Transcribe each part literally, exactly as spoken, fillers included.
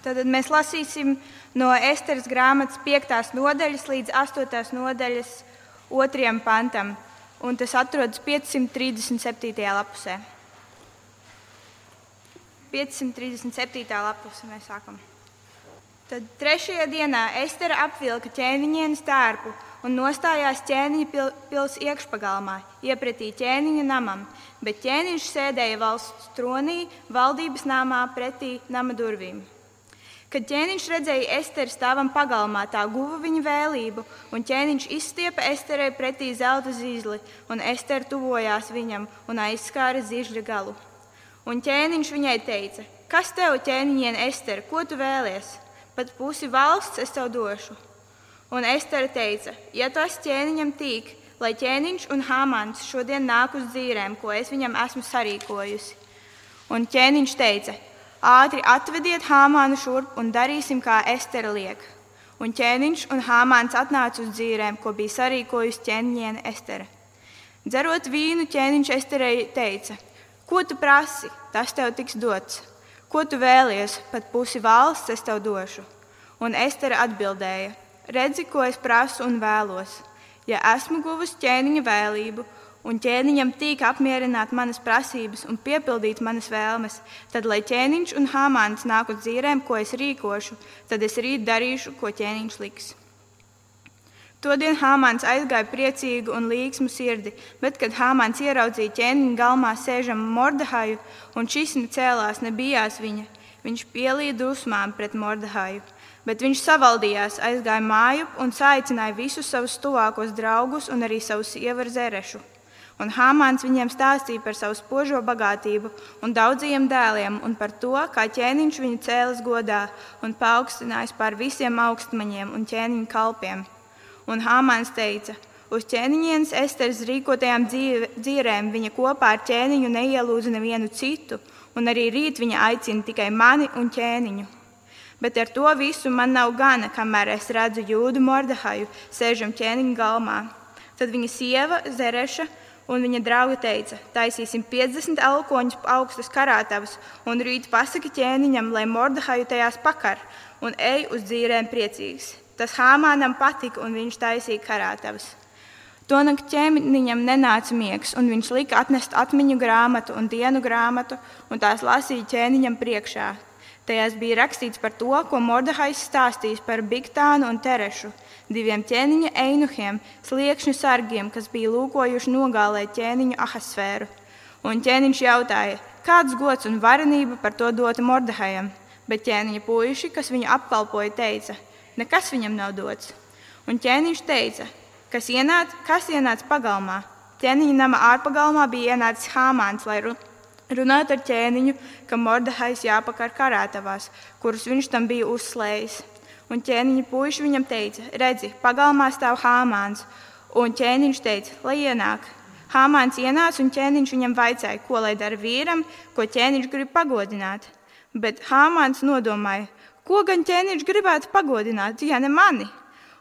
Tad mēs lasīsim no Esteras grāmatas piektās nodaļas līdz astotās nodaļas otrajam pantam, un tas atrodas piecsimt trīsdesmit septītajā lapusē. piecsimt trīsdesmit septītā lapuse mēs sākam. Tad trešajā dienā Estera apvilka ķēniņienes tērpu un nostājās ķēniņa pil, pils iekšpagalmā, iepretī ķēniņa namam, bet ķēniņš sēdēja valsts tronī, valdības namā pretī nama durvīm. Kad ķēniņš redzēja Esteru stāvam pagalmā, tā guva viņa vēlību, un ķēniņš izstiepa Esterai pretī zelta zīzli, un Estera tuvojās viņam un aizskāra zīžļa galu. Un ķēniņš viņai teica: kas tev, ķēniņiene Estera, ko tu vēlies? Pat pusi valsts es tev došu. Un Estera teica: ja tas ķēniņam tīk, lai ķēniņš un Hāmans šodien nāk uz dzīrēm, ko es viņam esmu sarīkojusi. Un ķēniņš teica: ātri atvediet Hāmānu šurp un darīsim, kā Estera liek. Un ķēniņš un Hāmāns atnāca uz dzīrēm, ko bija sarīkojusi ķēniņiene Estera. Dzerot vīnu, ķēniņš Esterai teica: ko tu prasi, tas tev tiks dots. Ko tu vēlies, pat pusi valsts es tev došu. Un Estera atbildēja: redzi, ko es prasu un vēlos. Ja esmu guvusi ķēniņa vēlību, un ķēniņam tīk apmierināt manas prasības un piepildīt manas vēlmes, tad, lai ķēniņš un Hāmāns nāk uz dzīrēm, ko es rīkošu, tad es rīt darīšu, ko ķēniņš liks. Todien Hāmāns aizgāja priecīgu un līgsmu sirdi, bet, kad Hāmāns ieraudzīja ķēniņa galmā sēžamu Mordehaju, un šis necēlās, nebijās viņa, viņš pielīja dusmām pret Mordehaju. Bet viņš savaldījās, aizgāja mājup un saicināja visus savus tuvākos draugus un arī savu sievu Zerešu. Un Hāmāns viņiem stāstīja par savu spožo bagātību un daudzajiem dēliem un par to, kā ķēniņš viņu cēlis godā un paaugstinājis pār visiem augstmaņiem un ķēniņa kalpiem. Un Hāmāns teica: uz ķēniņienes Esteras rīkotajām dzīrēm viņa kopā ar ķēniņu neielūdza nevienu citu, un arī rīt viņa aicina tikai mani un ķēniņu. Bet ar to visu man nav gana, kamēr es redzu jūdu Mordehaju sēžam ķēniņa galmā. Tad viņa sieva Zereša un viņa draugi teica: taisīsim piecdesmit elkoņus augstus karātavas un rīt pasaki ķēniņam, lai Mordehaju tajās pakar un ej uz dzīrēm priecīgs. Tas Hāmānam patika un viņš taisīja karātavas. Tonakt ķēniņam nenāca miegs, un viņš lika atnest atmiņu grāmatu un dienu grāmatu un tās lasīja ķēniņam priekšā. Tajās bija rakstīts par to, ko Mordehajs stāstījis par Bigtānu un Terešu, diviem ķēniņa einuhiem, sliekšņu sargiem, kas bija lūkojuši nogālēt ķēniņu Ahasvēru. Un ķēniņš jautāja, kāds gods un varenība par to dota Mordehajam, bet ķēniņa puiši, kas viņu apkalpoja, teica: nekas viņam nav dots. Un ķēniņš teica: kas ienāca, kas ienāca pagalmā? Ķēniņa nama ārpagalmā bija ienācis Hāmāns, lai runāt ar ķēniņu, ka Mordehajs jāpakar karātavās, kurus viņš tam bija uzslējis. Un ķēniņa puiši viņam teica: redzi, pagalmā stāv Hāmāns. Un ķēniņš teica: lai ienāk. Hāmāns ienāca un ķēniņš viņam vaicāja, ko lai dara vīram, ko ķēniņš grib pagodināt. Bet Hāmāns nodomāja: ko gan ķēniņš gribētu pagodināt, ja ne mani?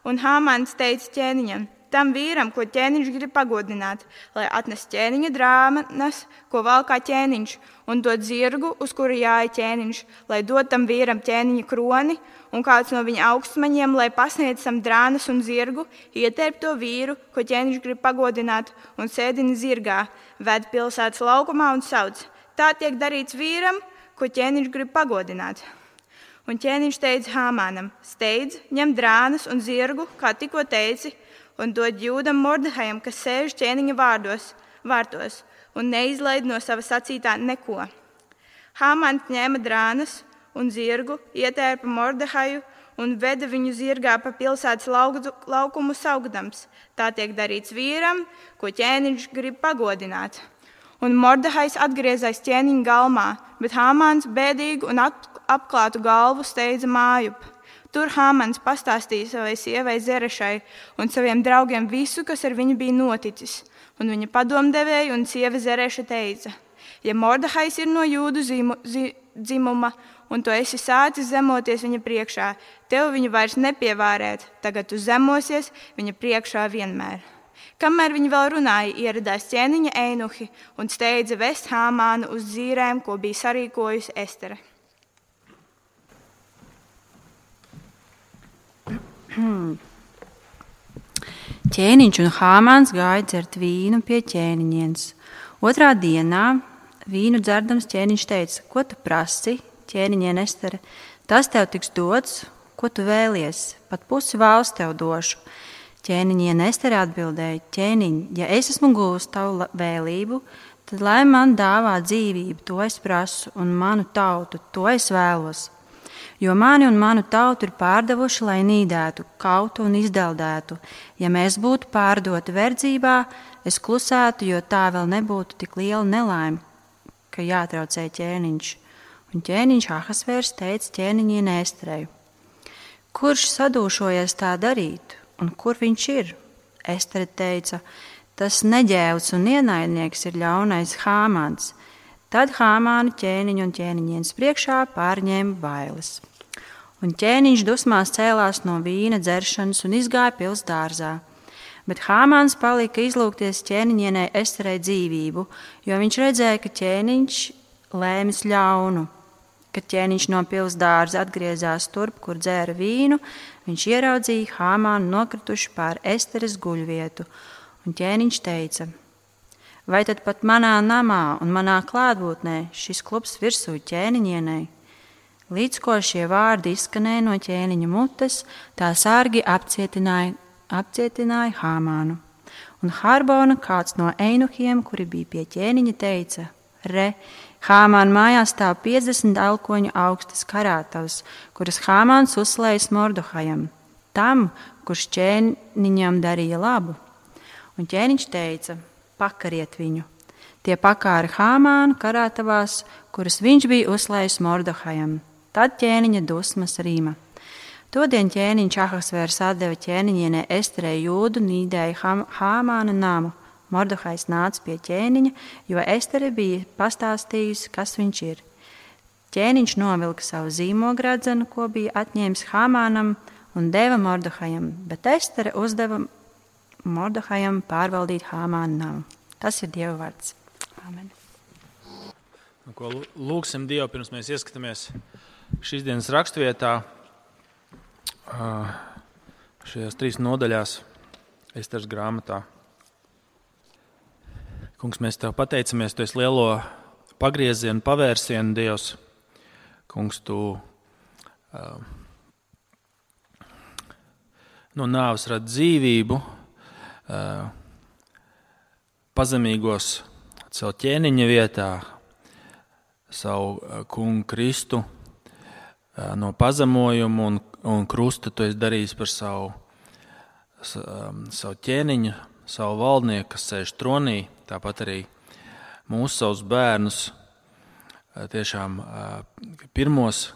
Un Hāmāns teica ķēniņam: tam vīram, ko ķēniņš grib pagodināt, lai atnes ķēniņa drāmanas, ko valkā ķēniņš, un dod zirgu, uz kuru jāja ķēniņš, lai dod tam vīram ķēniņa kroni, un kāds no viņa augstmaņiem, lai pasniedz tam drānas un zirgu, ietērp to vīru, ko ķēniņš grib pagodināt, un sēdina zirgā, ved pilsētas laukumā un sauc: tā tiek darīts vīram, ko ķēniņš grib pagodināt. Un ķēniņš teica Hāmānam: steidz, ņem drānas un zirgu, kā tikko teici, un dod jūdam Mordehajam, kas sēž ķēniņa vārdos, vārtos, un neizlaid no sava sacītā neko. Hāmāns ņēma drānas un zirgu, ietērpa Mordehaju un veda viņu zirgā pa pilsētas laukumu saugdams. Tā tiek darīts vīram, ko ķēniņš grib pagodināt. Un Mordehajs atgriezās ķēniņa galmā, bet Hāmāns bēdīgu un apklātu galvu steidza mājup. Tur Hāmāns pastāstīja savai sievai Zerešai un saviem draugiem visu, kas ar viņu bija noticis. Un viņa padomdevēja un sieva Zereša teica: ja Mordehajs ir no jūdu zimu, zi, dzimuma un tu esi sācis zemoties viņa priekšā, tev viņu vairs nepievārēt, tagad tu zemosies viņa priekšā vienmēr. Kamēr viņi vēl runāja, ieradās ķēniņa einuhi un steidza vest Hāmānu uz dzīrēm, ko bija sarīkojusi Estere. Ķēniņš un Hāmāns gāja dzert vīnu pie ķēniņienes. Otrā dienā vīnu dzerdams ķēniņš teica: ko tu prasi, ķēniņiene Estere? Tas tev tiks dots, ko tu vēlies, pat pusi valsts tev došu. Ķēniņiene Estere atbildēja: ķēniņ, ja es esmu guvusi tavu vēlību, tad lai man dāvā dzīvību, to es prasu, un manu tautu, to es vēlos. Jo mani un manu tautu ir pārdevuši, lai nīdētu, kautu un izdeldētu. Ja mēs būtu pārdoti verdzībā, es klusētu, jo tā vēl nebūtu tik liela nelaime, ka jātraucē ķēniņš. Un ķēniņš Ahasvērs teica ķēniņienei Esterei: kurš sadūšojies tā darīt, un kur viņš ir? Estere teica: tas neģēvs un ienaidnieks ir ļaunais Hāmāns. Tad Hāmānu ķēniņu un ķēniņienes priekšā pārņēma bailes. Un ķēniņš dusmās cēlās no vīna dzeršanas un izgāja pils dārzā. Bet Hāmāns palika izlūgties ķēniņienei Esterei dzīvību, jo viņš redzēja, ka ķēniņš lēmis ļaunu. Kad ķēniņš no pils dārza atgriezās turp, kur dzēra vīnu, viņš ieraudzīja Hāmānu nokrituši pār Esteres guļvietu. Un ķēniņš teica: vai tad pat manā namā un manā klātbūtnē šis klubs virsū ķēniņienei? Līdz ko šie vārdi izskanēja no ķēniņa mutes, tā sargi apcietināja, apcietināja Hāmānu. Un Harbona, kāds no einuhiem, kuri bija pie ķēniņa, teica: re, Hāmāna mājās stāv piecdesmit elkoņu augstas karātavas, kuras Hāmāns uzslējas Mordohajam, tam, kurš ķēniņam darīja labu. Un ķēniņš teica: pakariet viņu. Tie pakāra Hāmānu karātavās, kuras viņš bija uzslējis Mordohajam. Tad ķēniņa dusmas rīma. Todien ķēniņš Ahasvērs atdeva ķēniņienei Esterei jūdu, nīdēja Hāmāna namu. Mordohajs nāca pie ķēniņa, jo Estere bija pastāstījusi, kas viņš ir. Ķēniņš novilka savu zīmogradzenu, ko bija atņēmis Hāmānam, un deva Mordohajam, bet Estere uzdeva Mordohajam pārvaldīt Hāmāna namu. Tas ir Dieva vārds. Amen. Nu, ko lūgsim Dievu, pirms mēs ieskatāmies šīs dienas rakstvietā, šajās trīs nodaļās Esteres grāmatā. Kungs, mēs Tev pateicamies, Tu esi lielo pagriezienu, pavērsienu Dievs. Kungs, Tu uh, no nāves rad dzīvību, uh, pazemīgos savu ķēniņa vietā, savu kungu Kristu, no pazemojumu un, un krusta Tu esi darījis par savu, savu ķēniņu, savu valdnieku, kas sēž tronī, tāpat arī mūsu savus bērnus, tiešām pirmos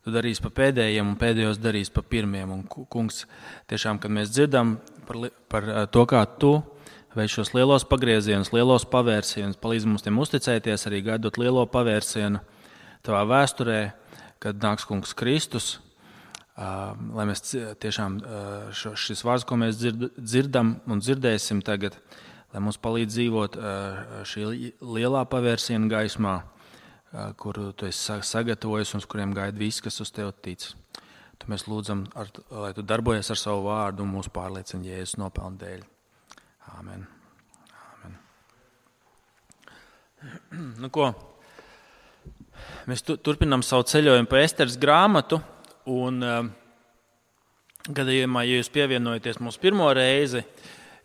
Tu darīsi pa pēdējiem un pēdējos darīsi pa pirmiem. Un, kungs, tiešām, kad mēs dzirdam par, par to, kā Tu veic šos lielos pagriezienus, lielos pavērsienus, palīdz mums tiem uzticēties, arī gaidot lielo pavērsienu Tavā vēsturē, kad nāks kungs Kristus, uh, lai mēs tiešām uh, šo, šis vārds, ko mēs dzird, dzirdam un dzirdēsim tagad, lai mums palīdz dzīvot uh, šī lielā pavērsiena gaismā, uh, kuru Tu esi sagatavojis un uz kuriem gaida viss, kas uz Tevi tic. Tu mēs lūdzam, ar, lai Tu darbojies ar savu vārdu un mūs pārliecini Jēzus nopelnu dēļ. Āmen. Āmen. Nu ko, mēs tu, turpinām savu ceļojumu pa Esteres grāmatu, un uh, gadījumā, ja jūs pievienojaties mūsu pirmo reizi,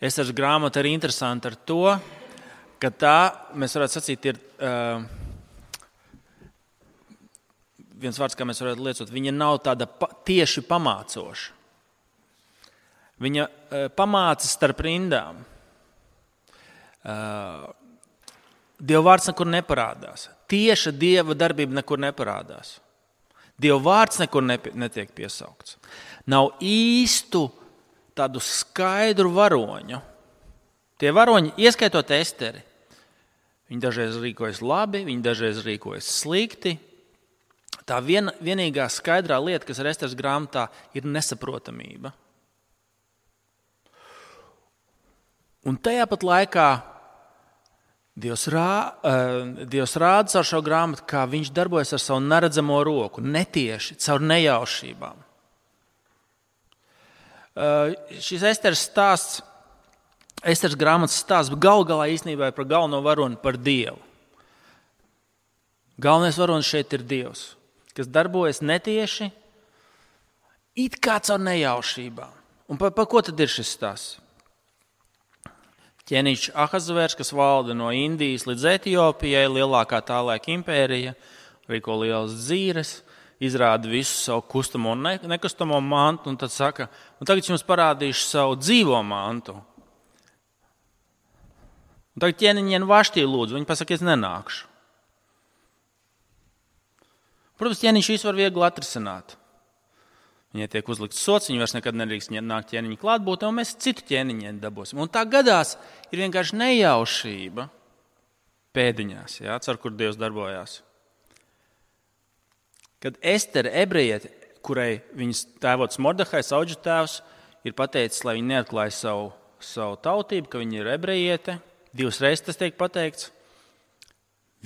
Esteres grāmata ir interesanta ar to, ka tā, mēs varētu sacīt, ir uh, viens vārds, kā mēs varētu liecot, viņa nav tāda pa, tieši pamācoša. Viņa uh, pamāca starp rindām. Uh, Dieva vārds nekur neparādās. Tieša Dieva darbība nekur neparādās. Dieva vārds nekur netiek piesaukts. Nav īstu tādu skaidru varoņu. Tie varoņi, ieskaitot Esteri, viņi dažreiz rīkojas labi, viņi dažreiz rīkojas slikti. Tā vien, vienīgā skaidrā lieta, kas ir Esteres grāmatā, ir nesaprotamība. Un tajā pat laikā Dievs, rā, uh, Dievs rāda ar šo grāmatu, kā viņš darbojas ar savu neredzamo roku, netieši, caur nejaušībām. šis Esteras stāsts, Esteras grāmatas stāsts, galu galā īstenībā ir par galveno varoni, par Dievu. Galvenais varonis šeit ir Dievs, kas darbojas netieši, it kā caur nejaušībām. Un par, par ko tad ir šis stāsts? Ķēniņš Ahasvērs, kas valda no Indijas līdz Etiopijai, lielākā tā laika impērija, rīko lielas dzīves, izrāda visu savu kustamo un nekustamo mantu, un tad saka, un tagad jums parādīšu savu dzīvo mantu. Un tagad ķēniņiem Vaštī lūdzu, viņi pasaka, es nenākšu. Protams, ķēniņš visu var viegli atrisināt. Viņai tiek uzlikts sots, viņi vairs nekad nedrīkst nākt ķēniņa klātbūtnē, un mēs citu ķēniņiem dabūsim. Un tā gadās ir vienkārši nejaušība pēdiņās, jā, caur kur Dievs darbojās. Kad Estere, ebrejiete, kurai viņas tēvots Mordehais, auģu tēvs, ir pateicis, lai viņi neatklāja savu, savu tautību, ka viņi ir ebrejiete, divas reizes tas tiek pateikts,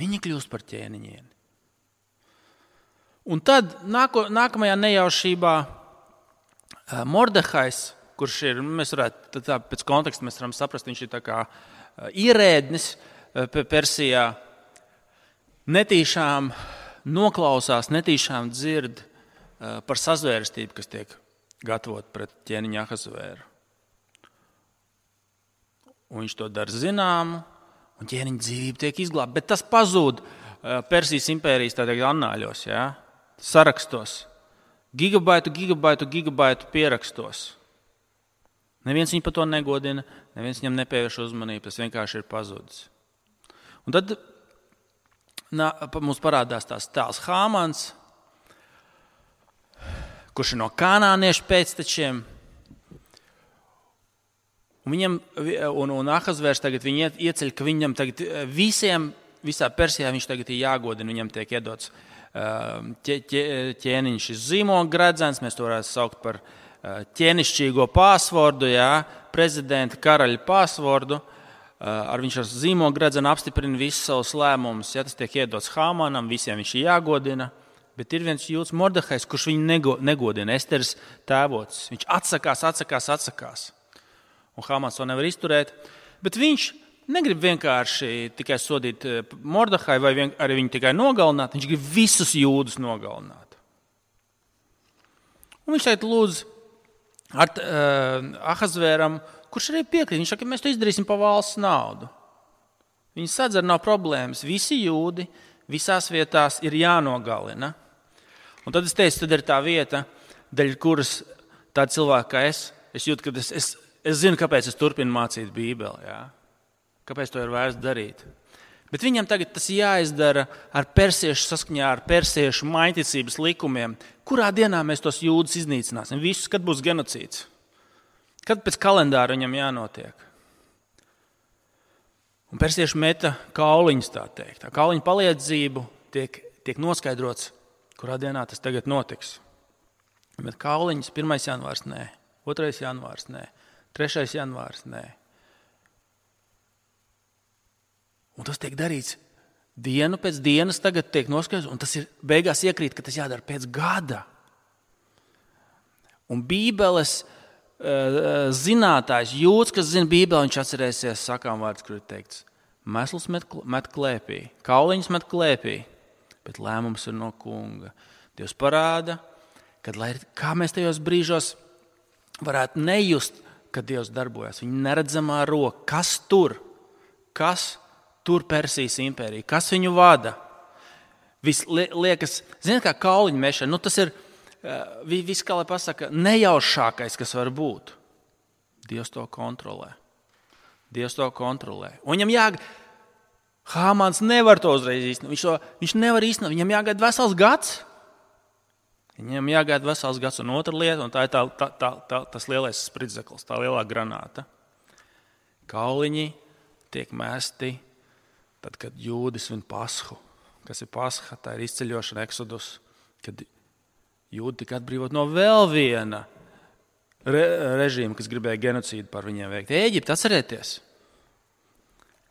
viņi kļūst par ķēniņieni. Un tad nāko, nākamajā nejaušībā Mordehais, kurš ir, mēs varētu, tā, pēc konteksta mēs varam saprast, viņš ir tā kā ierēdnis Persijā, netīšām noklausās, netīšām dzird par sazvērstību, kas tiek gatavot pret ķēniņu Ahasvēru. Un viņš to dara zināmu, un ķēniņa dzīvība tiek izglābta, bet tas pazūd Persijas impērijas tādā annāļos, jā? Sarakstos, gigabaitu, gigabaitu, gigabaitu pierakstos. Neviens viņu par to negodina, neviens viņam nepievērš uzmanību, tas vienkārši ir pazudis. Un tad nā, mums parādās tās tēls Hāmans, kurš ir no kanāniešu pēctečiem, un, viņam, un, un Ahasvērs tagad viņu ieceļ, ka viņam tagad visiem, visā Persijā viņš tagad ir jāgodina, viņam tiek iedots Ķē, ķē, ķēniņš ir zīmoga gredzens, mēs to varētu saukt par ķēnišķīgo pāsvordu, jā, prezidenta karaļa pāsvordu. Ar viņš ar zīmoga gredzenu apstiprina visus savus lēmumus. Ja, tas tiek iedots Hāmanam, visiem viņš ir jāgodina. Bet ir viens jūds Mordehais, kurš viņu nego, negodina, Esteras tēvots. Viņš atsakās, atsakās, atsakās. Un Hāmans to nevar izturēt. Bet viņš negrib vienkārši tikai sodīt Mordehai vai vien, arī viņu tikai nogalināt, viņš grib visus jūdus nogalināt. Un viņš teikt lūdz ar, uh, Ahasvēram, kurš arī piekrīt, viņš saka, mēs to izdarīsim pa valsts naudu. Viņi sadz ar nav problēmas, visi jūdi visās vietās ir jānogalina. Un tad es teicu, tad ir tā vieta, daļ kuras tāda cilvēka kā es, es jūtu, ka es, es, es zinu, kāpēc es turpinu mācīt Bībeli, jā. Kāpēc to ir vērts darīt? Bet viņam tagad tas jāizdara ar persiešu saskaņā, ar persiešu maiticības likumiem. Kurā dienā mēs tos jūdus iznīcināsim? Visus, kad būs genocīds? Kad pēc kalendāra viņam jānotiek? Un persieši meta kauliņus, tā teikt. Tā kauliņu palīdzību tiek, tiek noskaidrots, kurā dienā tas tagad notiks. Bet kauliņus pirmais janvārs nē, otrais janvārs nē, trešais janvārs nē. Un tas tiek darīts dienu pēc dienas, tagad tiek noskaidrots, un tas ir beigās iekrīt, ka tas jādara pēc gada. Un Bībeles uh, zinātājs, jūds, kas zina Bībeli, viņš atcerēsies sakām vārds, kur ir teikts, mesls met, met klēpī, kauliņus met klēpī, bet lēmums ir no kunga. Dievs parāda, kad, lai, kā mēs tajos brīžos varētu nejust, kad Dievs darbojas. Viņa neredzamā roka, kas tur, kas tur Persijas impērija, kas viņu vada. Viss liekas, ziniet, kā kauliņu mešana, nu tas ir viss, kā lai pasaka, nejaušākais, kas var būt. Dievs to kontrolē. Dievs to kontrolē. Un viņam jāg... Hāmans nevar to uzreiz īstenot. Viņš, to, viņš nevar īstenot. Viņam jāgaida vesels gads. Viņam jāgaida vesels gads. Un otra lieta, un tā ir tā, tā, tā, tā, tas lielais spridzeklis, tā lielā granāta. Kauliņi tiek mesti tad, kad jūdi svin Pashu. Kas ir Pasha? Tā ir izceļošana, Exodus, kad jūdi tika atbrīvot no vēl viena re, režīma, kas gribēja genocīdu par viņiem veikt. Ēģipte, atcerieties!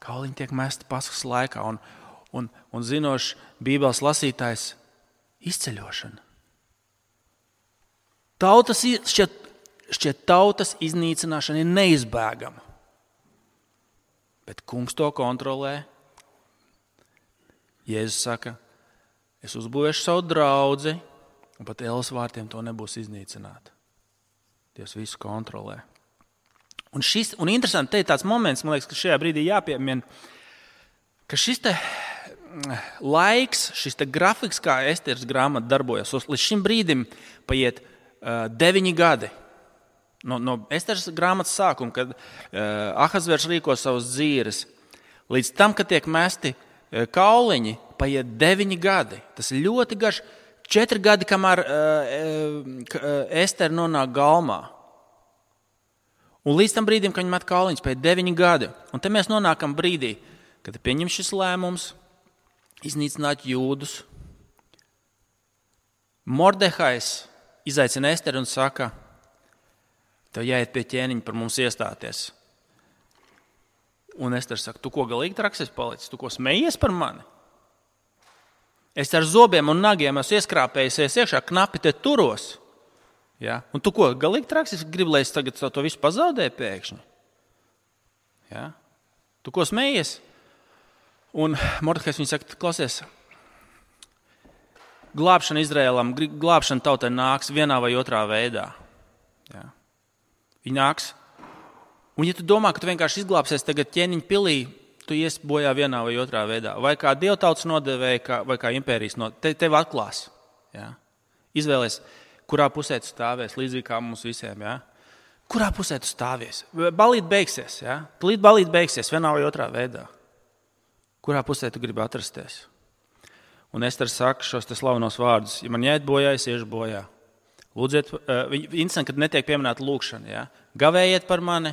Kauliņi tiek mesti Paskas laikā, un, un, un zinošs Bībeles lasītājs izceļošana. Tautas šķiet šķiet tautas iznīcināšana ir neizbēgama. Bet kungs to kontrolē. Jēzus saka, es uzbūvēšu savu draudzi, un pat ēlas vārtiem to nebūs iznīcināt. Dievs visu kontrolē. Un, šis, un interesanti, te ir tāds moments, man liekas, ka šajā brīdī jāpiemina, ka šis te laiks, šis te grafiks, kā Esteras grāmata darbojas, līdz šim brīdim paiet uh, deviņi gadi. No, no Esteras grāmatas sākuma, kad uh, Ahasvērs rīko savus dzīres, līdz tam, kad tiek mesti uh, kauliņi, paiet deviņi gadi. Tas ir ļoti garš, četri gadi, kamēr uh, uh, Estera nonāk galmā. Un līdz tam brīdim, kad viņi met kauliņus, paiet deviņi gadi. Un te mēs nonākam brīdī, kad pieņem šis lēmums iznīcināt jūdus. Mordehais izaicina Esteru un saka, tev jāiet pie ķēniņa par mums iestāties. Un Estera saka, tu ko galīgi traksis palicis? Tu ko smejies par mani? Es ar zobiem un nagiem esmu ieskrāpējusies iekšā, knapi te turos. Ja? Un tu ko galīgi traksis? Gribu, lai es tagad to visu pazaudēju pēkšņi. Ja? Tu ko smejies? Un Mordehais viņa saka, klausies, glābšana Izraēlam, glābšana tautai nāks vienā vai otrā veidā. Ja? Viņa nāks. Un ja tu domā, ka tu vienkārši izglābsies tagad ķēniņa pilī, tu ies bojā vienā vai otrā veidā. Vai kā dievtautas nodevēja, vai kā impērijas nodevēja. Te, tev atklās. Ja? Izvēlies, kurā pusē tu stāvies, līdzīgi kā mums visiem. Ja? Kurā pusē tu stāvies? Balīt beigsies. Ja? Tulīt balīt beigsies vienā vai otrā veidā. Kurā pusē tu gribi atrasties? Un Estera saka šos te slavenos vārdus. Ja man jāiet bojā, es iešu bojā. Lūdziet, uh, interesanti, kad netiek pieminēta lūkšana. Ja? Gavējiet par mani,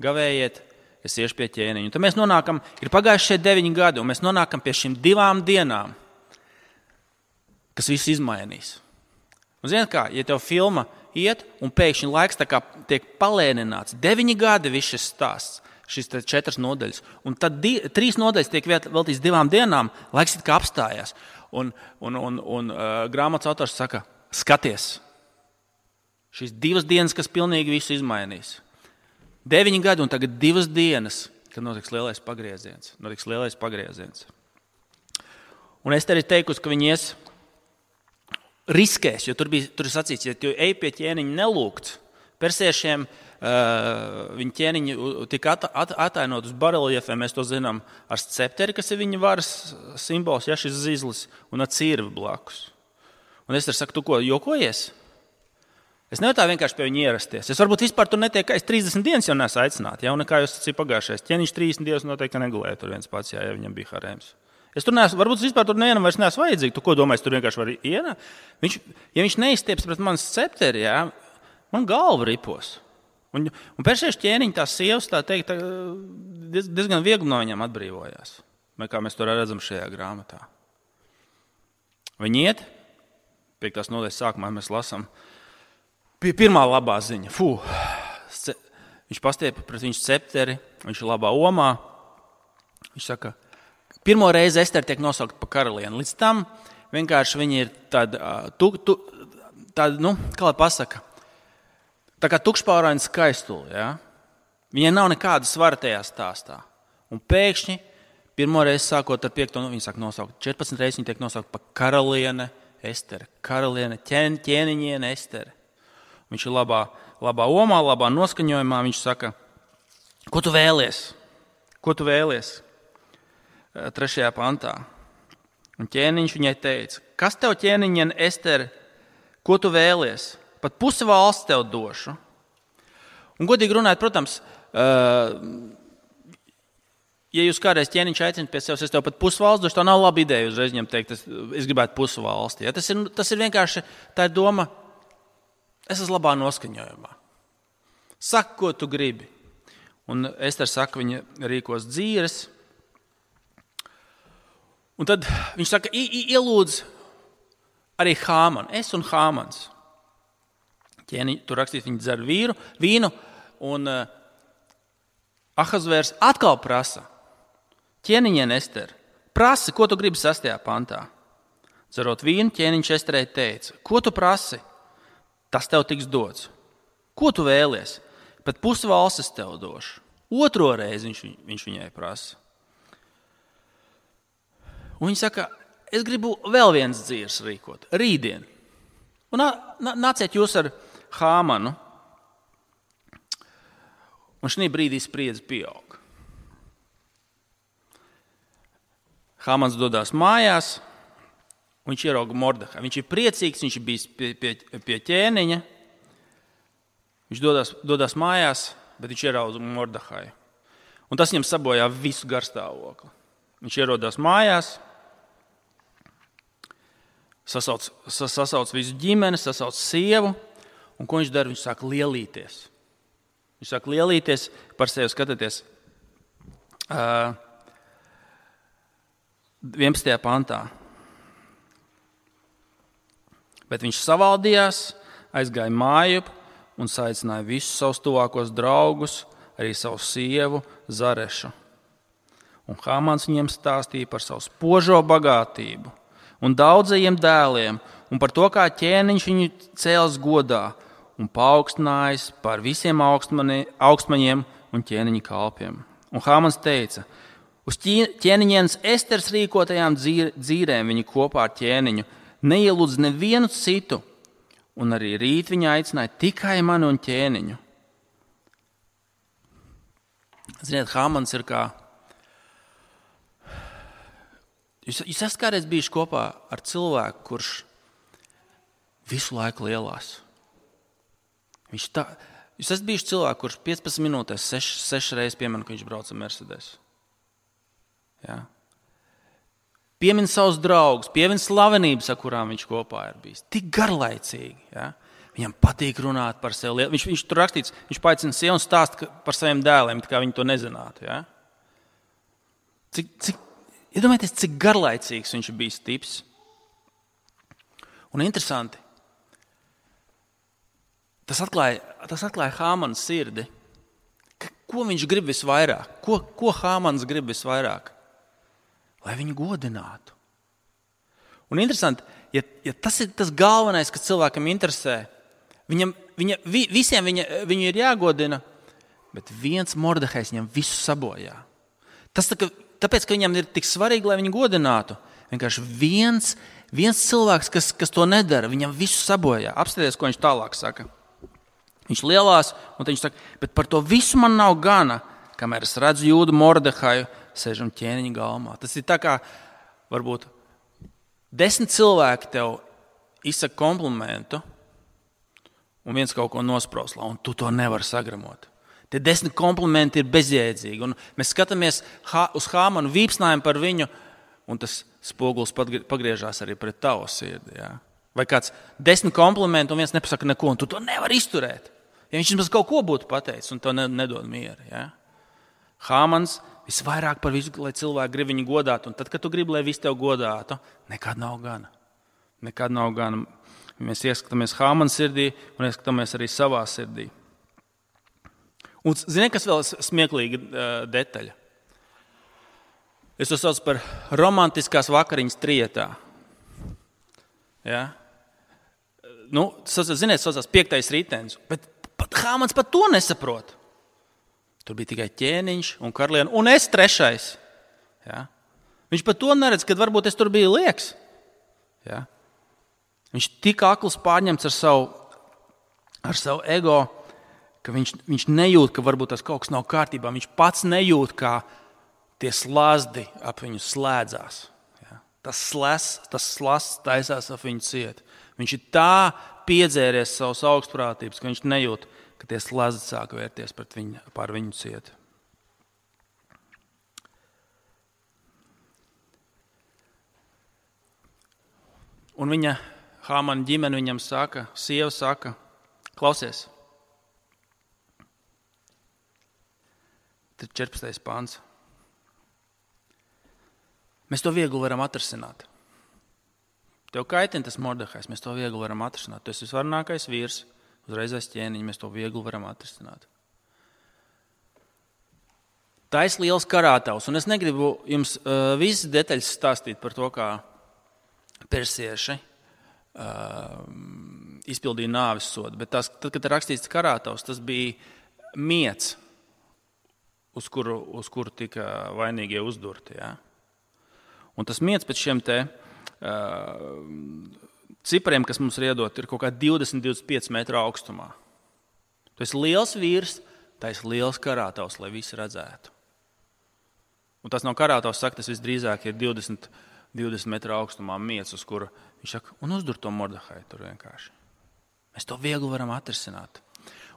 gavējiet, es iešu pie ķēniņa. Un tad mēs nonākam, ir pagājuši šie deviņi gadi, un mēs nonākam pie šīm divām dienām, kas visu izmainīs. Un zināt kā, ja tev filma iet, un pēkšņi laiks tā kā tiek palēnināts, deviņi gadi viss šis stāsts, šīs četras nodaļas. Un tad di, trīs nodaļas tiek veltīts divām dienām, laiks it kā apstājās. Un, un, un, un uh, grāmatas autors saka, skaties, šīs divas dienas, kas pilnīgi visu izmainīs. Deviņi gadi un tagad divas dienas, kad notiks lielais pagrieziens. Notiks lielais pagrieziens. Un Estera ir teikusi, ka viņi ies riskēs, jo tur bija tur ir sacīts, ja tu ej pie ķēniņa nelūgts, persiešiem Uh, viņa ķēniņi tika at, at, atainot uz bareljefiem, mēs to zinām, ar scepteri, kas ir viņa varas simbols, ja šis zizlis, un ar cirvi blakus. Un es saku, tu ko, jokojies? Es nevaru tā vienkārši pie viņa ierasties. Es varbūt vispār tur netiek, es trīsdesmit dienas jau neesmu aicināti, ja, un nekā jūs sacīja pagājušais. Ķēniņš trīsdesmit dienas noteikti negulēja tur viens pats, ja, ja viņam bija harēms. Es tur neesmu, varbūt vispār tur nevienam vairs neesmu vajadzīgi. Tu ko domā, es tur vienkārši varu ienākt? Viņš, ja viņš neizstieps pret manas scepteri, ja, man galva ripos. Un, un persiešu ķēniņi tās sievas, tā teikt, diez, diezgan viegli no viņām atbrīvojās. Kā mēs to redzam šajā grāmatā. Viņi iet, piektās nodaļas sākumā mēs lasām, pirmā labā ziņa. Fū, viņš pastiepa pret viņu scepteri, viņš ir labā omā. Viņš saka, pirmo reizi Estera tiek nosaukt par karalieni. Līdz tam vienkārši viņi ir tāda, tu, tu, tāda nu, kā lai pasaka, tā kā tukšpāraina skaistule, ja? Viņai nav nekāda svara tajā stāstā. Un pēkšņi, pirmo reizi sākot ar piekto, nu, viņi sāk nosaukt, četrpadsmit reizes viņi tiek nosaukt par karaliene Estere, karaliene, ķēn, ķēniņiene Estere. Viņš ir labā, labā omā, labā noskaņojumā, viņš saka, ko tu vēlies? Ko tu vēlies? Trešajā pantā. Un ķēniņš viņai teica, kas tev ķēniņiene Estere, ko tu vēlies? Pat pusi valsts tev došu. Un godīgi runājot, protams, ja jūs kādreiz ķēniņš aicināt pie sevis, es tev pat pusi valsts došu, tā nav laba ideja uzreiz viņam teikt, es, es gribētu pusi valsti. Ja? Tas, ir, tas ir vienkārši tā ir doma, es esmu labā noskaņojumā. Saka, ko tu gribi. Un Estera saka, viņa rīkos dzīves. Un tad viņš saka, ielūdz arī Hāmanu, es un Hāmans. Ķēniņi, tur rakstīt, viņi dzer vīru, vīnu, un uh, Ahasvērs atkal prasa, ķēniņiene Estere, prasi, ko tu gribi sastajā pantā. Dzerot vīnu, ķēniņš Esterei teica, ko tu prasi, tas tev tiks dots. Ko tu vēlies? Pat pusi valsts es tev došu. Otro reizi viņš, viņš viņai prasa. Un viņa saka, es gribu vēl viens dzīves rīkot, rītdien. Un nāciet jūs ar Hāmanu. Un šī brīdī spriedze pieaug. Hāmans dodas mājās, un viņš ierauga Mordehaju. Viņš ir priecīgs, viņš ir bijis pie, pie, pie ķēniņa. Viņš dodas, dodas mājās, bet viņš ierauga Mordehaju. Un tas viņam sabojā visu garstāvokli. Viņš ierodās mājās, sasauc, sasauc visu ģimeni, sasauc sievu, un ko viņš dara? Viņš sāk lielīties. Viņš sāk lielīties par sevi, skatieties. Uh, vienpadsmitajā pantā. Bet viņš savaldījās, aizgāja mājup un saicināja visus savus tuvākos draugus, arī savu sievu Zarešu. Un Hāmans viņiem stāstīja par savu spožo bagātību un daudzajiem dēliem un par to, kā ķēniņš viņu cēls godā un paaugstinājis par visiem augstmaņiem un ķēniņa kalpiem. Un Hāmans teica, uz ķēniņienes Esteres rīkotajām dzīrēm viņi kopā ar ķēniņu neielūdz nevienu citu, un arī rīt viņa aicināja tikai mani un ķēniņu. Ziniet, Hāmans ir kā... Jūs, jūs esat kādreiz bijuši kopā ar cilvēku, kurš visu laiku lielās. Viņš tā... Jūs esat bijuši cilvēku, kurš piecpadsmit minūtēs sešas seš reizes piemēram, ka viņš brauc ar Mercedes. Ja? Piemin savus draugus, piemin slavenības, ar kurām viņš kopā ir bijis. Tik garlaicīgi. Ja? Viņam patīk runāt par sevi. Viņš, viņš tur rakstīts, viņš paaicina sievu un stāsta par saviem dēliem, tā kā viņi to nezinātu. Ja? Cik, cik, iedomājieties, cik garlaicīgs viņš ir bijis tips. Un interesanti, tas atklāja, tas atklāja Hāmana sirdi. Ko viņš grib visvairāk? Ko, ko Hāmans grib visvairāk? Lai viņu godinātu. Un interesanti, ja, ja tas ir tas galvenais, kas cilvēkam interesē, viņam, viņa, vi, visiem viņa, viņu ir jāgodina, bet viens Mordehajs viņam visu sabojā. Tas tā, ka, tāpēc, ka viņam ir tik svarīgi, lai viņu godinātu, vienkārši viens, viens cilvēks, kas, kas to nedara, viņam visu sabojā. Apstāties, ko viņš tālāk saka. Viņš lielās, un viņš saka, bet par to visu man nav gana, kamēr es redzu Jūdu Mordehaju, sēžam ķēniņa galmā. Tas ir tā kā, varbūt, desmit cilvēki tev izsaka komplimentu un viens kaut ko nosprauslā, un tu to nevari sagramot. Tie desmit komplimenti ir bezjēdzīgi, un mēs skatāmies uz Hāmanu, vīpsnājam par viņu, un tas spogulis pagriežās arī pret tavu sirdi. Ja? Vai kāds desmit komplimenti un viens nepasaka neko, un tu to nevari izturēt. Ja viņš jums kaut ko būtu pateicis, un to nedod mieru. Ja? Hāmans visvairāk par visu, lai cilvēki grib viņu godāt, un tad, kad tu gribi, lai visi tev godātu, nekad nav gana. Nekad nav gana. Mēs ieskatāmies Hāmana sirdī un ieskatāmies arī savā sirdī. Un zini, kas vēl smieklīga uh, detaļa? Es to saucu par romantiskās vakariņas trietā. Ja? Nu, ziniet, saucās piektais ritenis, bet pat Hāmans pat to nesaprot. Tur bija tikai ķēniņš un karaliene, un es trešais. Ja? Viņš pat to neredz, kad varbūt es tur biju lieks. Ja? Viņš tik akls pārņemts ar savu, ar savu ego, ka viņš, viņš nejūt, ka varbūt tas kaut kas nav kārtībā. Viņš pats nejūt, kā tie slazdi ap viņu slēdzās. Ja? Tas slazds, tas slazds taisās ap viņu ciet. Viņš ir tā piedzēries savas augstprātības, ka viņš nejūt, ka tie slazdi sāk vērties pret viņu, pār viņu ciet. Un viņa, Hāmana ģimene viņam saka, sieva saka, klausies, tad četrpadsmitais pants. Mēs to viegli varam atrasināt. Tev kaitina tas Mordehajs, mēs to viegli varam atrasināt. Tu esi visvarnākais vīrs. Uzreiz aiz ķēniņa, mēs to viegli varam atrisināt. Tais liels karātavs, un es negribu jums uh, visas detaļas stāstīt par to, kā persieši uh, izpildīja nāves sodu. Bet tās, tad, kad rakstīts karātavs, tas bija miets, uz kuru, uz kuru tika vainīgie uzdurti. Ja? Un tas miets pēc šiem te uh, cipariem, kas mums ir iedot, ir kaut kā divdesmit līdz divdesmit pieci metru augstumā. Tu esi liels vīrs, tā esi liels karātavs, lai visi redzētu. Un tas nav karātavs, saka, tas visdrīzāk ir divdesmit, divdesmit metru augstumā miets, uz kura viņš saka, un uzdur to Mordehaju tur vienkārši. Mēs to viegli varam atrisināt.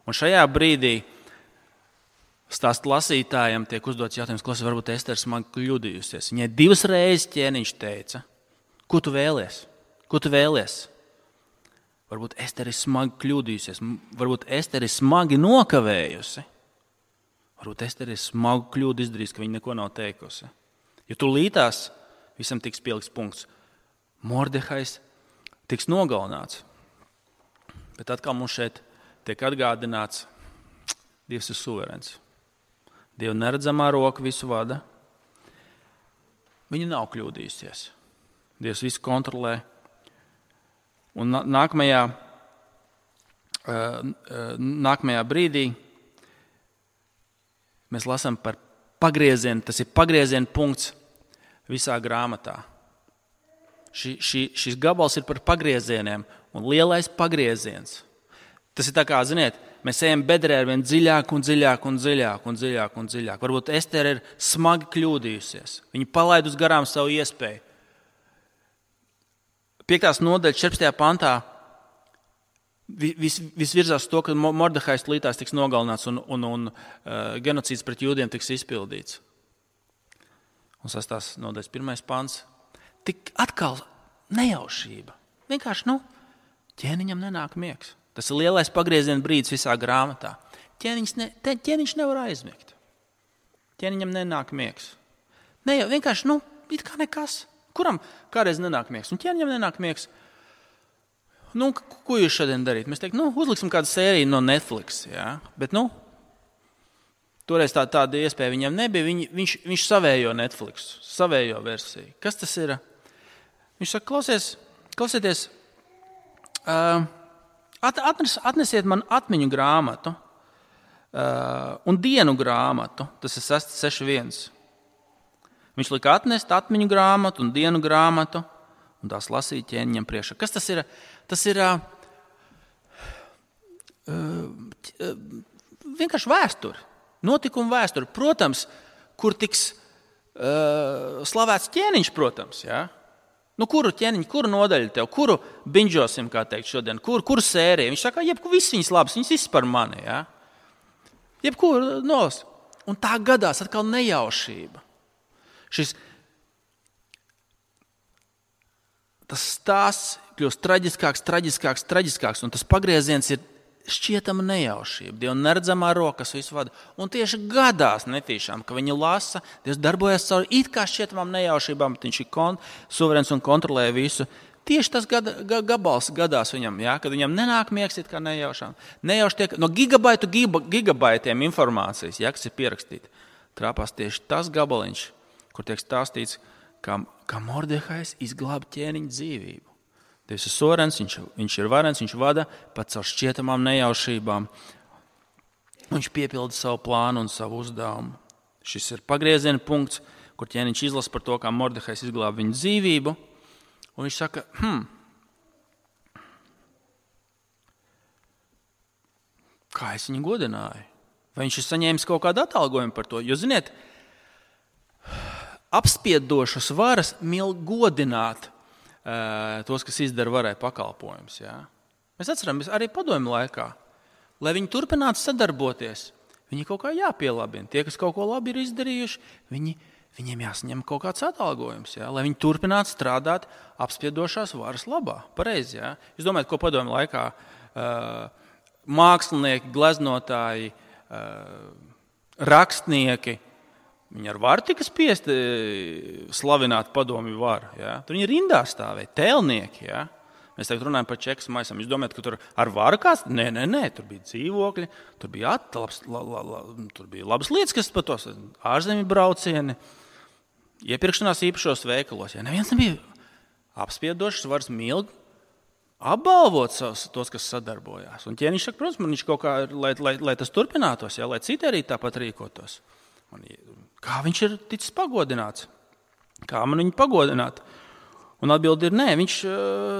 Un šajā brīdī stāstu lasītājiem tiek uzdots jautājums, klausies, varbūt Estere smagi kļūdījusies. Viņai divas reizes ķēniņš teica, ko tu vēlies? Ko tu vēlies? Varbūt Estere ir smagi kļūdījusies, varbūt Estere ir smagi nokavējusi. Varbūt Estere ir smagu kļūdu izdarījusi, ka viņa neko nav teikusi. Ja tu lītās, visam tiks pielikts punkts. Mordehajs tiks nogalināts. Bet atkal mums šeit tiek atgādināts, Dievs ir suverēns. Dieva neredzamā roka visu vada. Viņa nav kļūdījusies. Dievs visu kontrolē. Un nākamajā, nākamajā brīdī mēs lasām par pagriezienu. Tas ir pagrieziena punkts visā grāmatā. Ši, ši, šis gabals ir par pagriezieniem un lielais pagrieziens. Tas ir tā kā, ziniet, mēs ejam bedrē ar vien dziļāk un dziļāk un dziļāk un dziļāk un dziļāk. Varbūt Estere ir smagi kļūdījusies. Viņa palaidus garām savu iespēju. Piektās nodaļas četrpadsmitajā pantā vis, vis virzās to, ka Mordehajs lītās tiks nogalināts un, un, un uh, genocīds pret jūdiem tiks izpildīts. Un sastās nodaļas pirmais pants. Tik atkal nejaušība. Vienkārši, nu, ķēniņam nenāk miegs. Tas ir lielais pagrieziena brīdis visā grāmatā. Ķēniņš, ne, ķēniņš nevar aizmigt. Ķēniņam nenāk miegs. Ne jau vienkārši, nu, it kā nekas. Kuram kādreiz nenāk miegs? Un ķēniņam nenāk miegs. Nu, ko jūs šodien darīt? Mēs teiktu, nu, uzliksim kādu sēriju no Netflix, jā. Bet, nu, toreiz tā, tāda iespēja viņam nebija. Viņ, viņš, viņš savējo Netflix, savējo versiju. Kas tas ir? Viņš saka, klausies, klausieties, uh, Atnes, atnesiet man atmiņu grāmatu uh, un dienu grāmatu. Tas ir seši viens. Viņš lika atnest atmiņu grāmatu un dienu grāmatu un tās lasīt ķēniņam priekšā. Kas tas ir? Tas ir uh, uh, vienkārši vēsture. Notikuma vēsture. Protams, kur tiks uh, slavēts ķēniņš, protams, jā. Nu, kuru ķēniņu, kuru nodaļu tev, kuru binžosim, kā teikt šodien, kur, kuru sēriju? Viņš saka, jebku viss viņas labas, viņas viss par mani, jā. Jebkuru nos. Un tā gadās atkal nejaušība. Šis, tas stāsts kļūst traģiskāks, traģiskāks, traģiskāks, un tas pagrieziens ir šķietama nejaušība. Dieva neredzamā roka, kas visu vada. Un tieši gadās netīšām, ka viņi lasa, Dievs darbojas caur it kā šķietamām nejaušībām, bet viņš ir kon, suverēns un kontrolē visu. Tieši tas gada, ga, gabals gadās viņam, jā, kad viņam nenāk miegs it kā nejaušām. Nejauši tiek no gigabaitu giga, gigabaitiem informācijas, jā, kas ir pierakstīta. Trāpās tieši tas gabaliņš, kur tiek stāstīts, kā, kā Mordehajs izglāba ķēniņa dzīvību. Dievs ir suverēns, viņš, viņš ir varens, viņš vada pat caur šķietamām nejaušībām. Viņš piepilda savu plānu un savu uzdevumu. Šis ir pagrieziena punkts, kur ķēniņš izlasa par to, kā Mordehajs izglāba viņa dzīvību. Un viņš saka, hm, kā es viņu godināju? Vai viņš ir saņēmis kaut kādu atalgojumu par to? Jo, ziniet, apspiedošas varas mīl godināt tos, kas izdara varai pakalpojumus. Jā. Mēs atceramies arī padomju laikā, lai viņi turpinātu sadarboties, viņi kaut kā jāpielabina. Tie, kas kaut ko labi ir izdarījuši, viņi, viņiem jāsaņem kaut kāds atalgojums, jā, lai viņi turpinātu strādāt apspiedošās varas labā. Pareizi, jā. Jūs domājat, ko padomju laikā uh, mākslinieki, gleznotāji, uh, rakstnieki, viņi ar varu tika spiesti slavināt padomju varu. Ja? Tur viņi rindā stāvēja, tēlnieki. Ja? Mēs tagad runājam par čekas maisām. Jūs domājat, ka tur ar varu kāds? Nē, nē, nē, tur bija dzīvokļi, tur bija atlabs, la, la, la, tur bija labas lietas, kas par tos ārzemju braucieni, iepirkšanās īpašos veikalos. Ja? Neviens nebija apspiedošs varas milgi apbalvot savus, tos, kas sadarbojās. Un ķēniņš saka, protams, man viņš kaut kā, lai, lai, lai tas turpinātos, ja, lai citi arī tāpat rīkotos. Man, kā viņš ir ticis pagodināts? Kā man viņu pagodināt? Un atbildi ir nē, viņš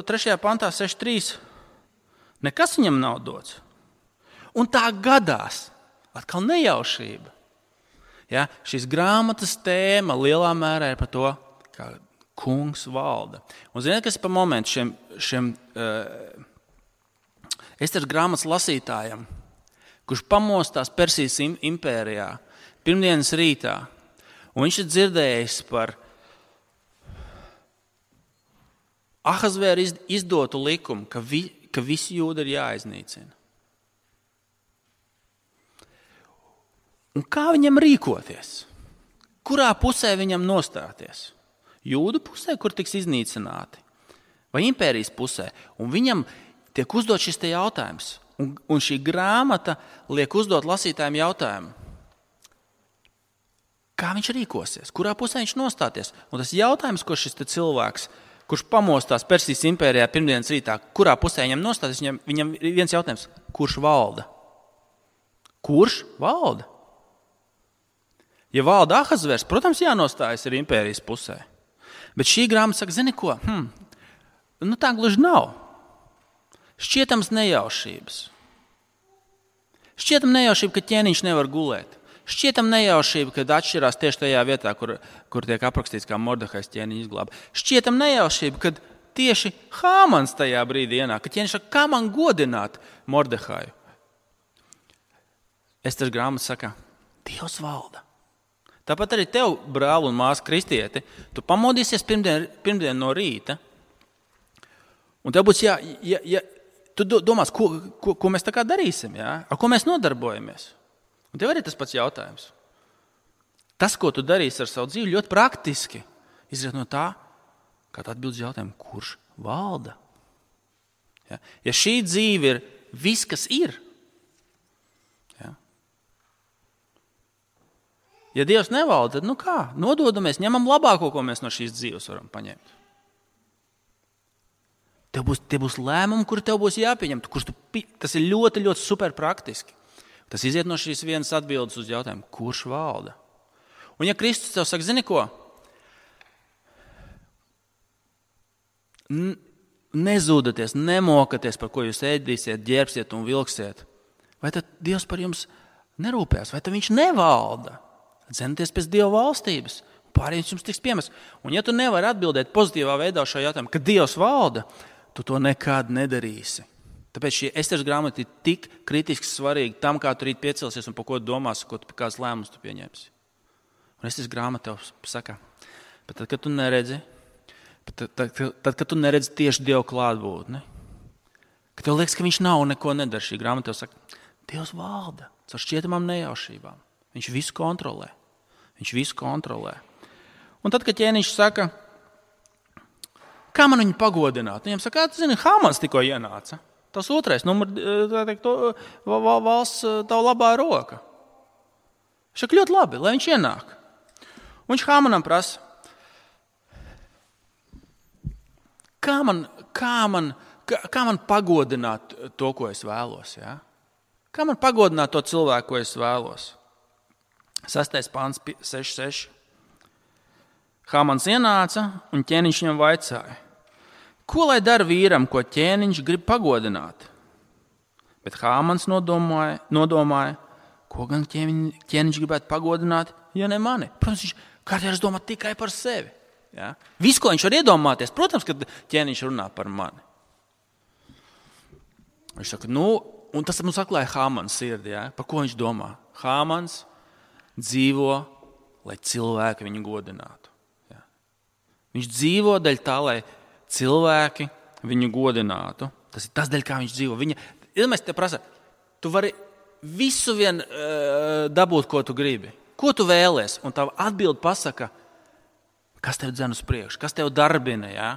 trešajā pantā seši trīs nekas viņam nav dots. Un tā gadās, atkal nejaušība. Ja, šīs grāmatas tēma lielā mērā ir par to, kā kungs valda. Un ziniet, kas ir pa momentu šiem, šiem uh, Esteras grāmatas lasītājam, kurš pamostās Persijas impērijā pirmdienas rītā, un viņš ir dzirdējis par Ahasvēra izdotu likumu, ka, vi, ka visi jūdi ir jāiznīcina. Un kā viņam rīkoties? Kurā pusē viņam nostāties? Jūdu pusē, kur tiks iznīcināti, vai impērijas pusē? Un viņam tiek uzdot šis te jautājums. Un, un šī grāmata liek uzdot lasītājiem jautājumu. Kā viņš rīkosies? Kurā pusē viņš nostāties? Un tas jautājums, ko šis te cilvēks, kurš pamostās Persijas impērijā pirmdienas rītā, kurā pusē viņam nostāties, viņam, viņam ir viens jautājums. Kurš valda? Kurš valda? Ja valda Ahasvērs, protams, jānostājas ir impērijas pusē. Bet šī grāmata saka, zini ko? Hmm, nu tā gluži nav. Šķietams nejaušības. Šķietam nejaušība, ka ķēniņš nevar gulēt. Šķietam nejaušība, kad atšķirās tieši tajā vietā, kur, kur tiek aprakstīts, kā Mordehais ķēniņu izglāba. Šķietam nejaušība, kad tieši Hāmans tajā brīdī ienāk, ka ķēniņš saka, kā man godināt Mordehaju? Esteras grāmata saka, Dievs valda. Tāpat arī tev, brāl un māsa kristieti, tu pamodīsies pirmdien, pirmdien no rīta, un tev būs jā, ja, ja, tu domās, ko, ko, ko mēs tā kā darīsim, jā? Ar ko mēs nodarbojamies. Un tev arī tas pats jautājums. Tas, ko tu darīsi ar savu dzīvi, ļoti praktiski izriet no tā, kā tu atbildi jautājumu, kurš valda. Ja, ja šī dzīve ir viss, kas ir, ja Dievs nevalda, tad nu kā? Nododamies, ņemam labāko, ko mēs no šīs dzīves varam paņemt. Tev būs, tie būs lēmumi, kuri tev būs jāpieņem. Kurš tu, tas ir ļoti, ļoti super praktiski. Tas iziet no šīs vienas atbildes uz jautājumu, kurš valda. Un ja Kristus tev saka, zini ko? Nezūdaties, nemokaties, par ko jūs ēdīsiet, ģērbsiet un vilksiet. Vai tad Dievs par jums nerūpēs? Vai tad viņš nevalda? Cenieties pēc Dieva valstības, pārējais jums tiks piemests. Un ja tu nevari atbildēt pozitīvā veidā šo jautājumu, ka Dievs valda, tu to nekad nedarīsi. Tāpēc šī Esteras grāmata ir tik kritiski svarīga tam, kā tu rīt piecelsies un par ko domās, ko tu, kāds lēmums tu pieņemsi. Un Esteras grāmata tev saka, bet tad, kad tu neredzi, tad, tad, tad, kad tu neredzi tieši Dievu klātbūtni, ka tev liekas, ka viņš nav un neko nedara, šī grāmata tev saka, Dievs valda caur šķietamām nejaušībām. Viņš visu kontrolē. Viņš visu kontrolē. Un tad, kad ķēniņš saka, kā man viņu pagodināt? Viņam saka, tu zini, Hāmans tikko ienāca. Tas otrais, numur, tā teikt, to, valsts tavu labā roka. Viņš saka, ļoti labi, lai viņš ienāk. Un viņš Hāmanam prasa, kā man, kā man, kā, kā man pagodināt to, ko es vēlos? Ja? Kā man pagodināt to cilvēku, ko es vēlos? Sastais pāns seši seši. Hāmans ienāca un ķēniņš viņam vaicāja, ko lai dara vīram, ko ķēniņš grib pagodināt? Bet Hāmans nodomāja, nodomāja ko gan ķēniņš, ķēniņš gribētu pagodināt, ja ne mani. Protams, viņš kādreiz domā tikai par sevi. Ja? Viss, ko viņš var iedomāties, protams, kad ķēniņš runā par mani. Viņš saka, nu, un tas mums atklāja Hāmans sirdi, ja? Par ko viņš domā? Hāmans dzīvo, lai cilvēki viņu godinātu. Ja. Viņš dzīvo daļ tā, lai cilvēki viņu godinātu. Tas ir tas daļ, kā viņš dzīvo. Viņa, ja mēs te prasa, tu vari visu vien uh, dabūt, ko tu gribi. Ko tu vēlies? Un tava atbilde pasaka, kas tev dzen uz priekšu, kas tev darbina, ja?